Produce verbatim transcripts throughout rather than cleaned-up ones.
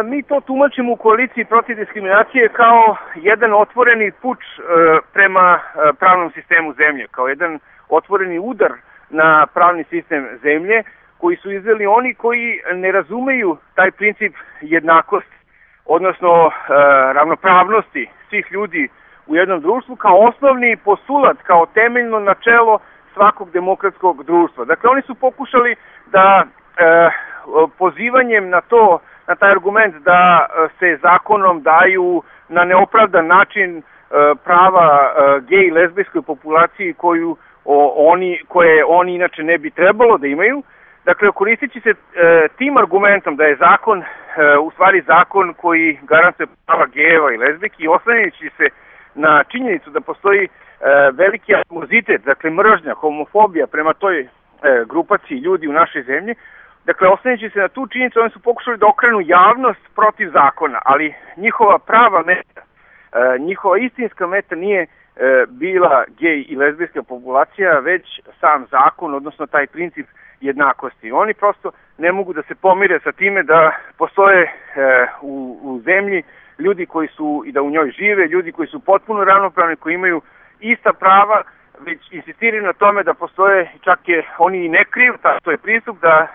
mi to tumačimo u koaliciji protiv diskriminacije kao jedan otvoreni puč prema pravnom sistemu zemlje, kao jedan otvoreni udar na pravni sistem zemlje, koji su izveli oni koji ne razumeju taj princip jednakosti, odnosno ravnopravnosti svih ljudi u jednom društvu kao osnovni postulat, kao temeljno načelo svakog demokratskog društva. Dakle, oni su pokušali da e, pozivanjem na to, na taj argument da se zakonom daju na neopravdan način e, prava e, gej i lezbijskoj populaciji koju o, oni, koje oni inače ne bi trebalo da imaju. Dakle, koristeći se e, tim argumentom da je zakon e, u stvari zakon koji garantuje prava gejeva i lezbijki i oslanjajući se na činjenicu da postoji e, veliki animozitet, dakle mržnja, homofobija prema toj e, grupaciji ljudi u našoj zemlji. Dakle, oslanjajući se na tu činjenicu, oni su pokušali da okrenu javnost protiv zakona, ali njihova prava meta, e, njihova istinska meta nije e, bila gej i lezbijska populacija, već sam zakon, odnosno taj princip jednakosti. Oni prosto ne mogu da se pomire sa time da postoje e, u, u zemlji ljudi koji su i da u njoj žive, ljudi koji su potpuno ravnopravni, koji imaju ista prava, već insistiraju na tome da postoje, čak je oni i ne kriju, to je pristup da e,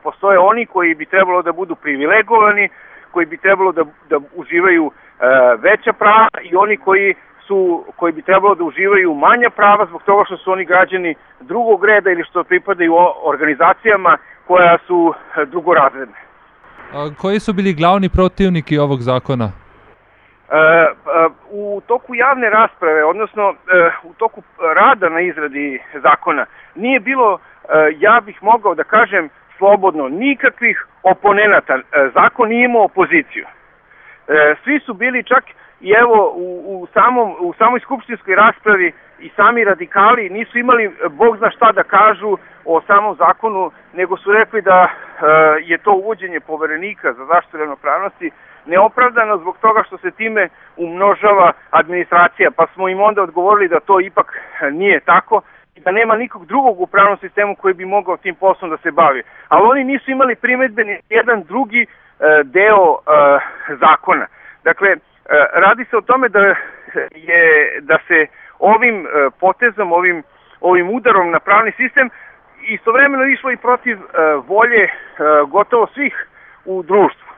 postoje oni koji bi trebalo da budu privilegovani, koji bi trebalo da, da uživaju e, veća prava i oni koji su, koji bi trebalo da uživaju manja prava zbog toga što su oni građani drugog reda ili što pripadaju organizacijama koja su drugorazredne. A koji su bili glavni protivniki ovog zakona? E, u toku javne rasprave, odnosno e, u toku rada na izradi zakona, nije bilo, e, ja bih mogao da kažem slobodno, nikakvih oponenata. E, zakon nije imao opoziciju. E, svi su bili čak i evo u, u, samom, u samoj skupštinskoj raspravi i sami radikali nisu imali bog zna šta da kažu o samom zakonu, nego su rekli da e, je to uvođenje poverenika za zaštitu ravnopravnosti neopravdano zbog toga što se time umnožava administracija, pa smo im onda odgovorili da to ipak nije tako i da nema nikog drugog u pravnom sistemu koji bi mogao tim poslom da se bavi. Ali oni nisu imali primedbe ni jedan drugi e, deo e, zakona. Dakle, e, radi se o tome da, je, da se ovim e, potezom, ovim, ovim udarom na pravni sistem istovremeno išlo i protiv e, volje e, gotovo svih u društvu.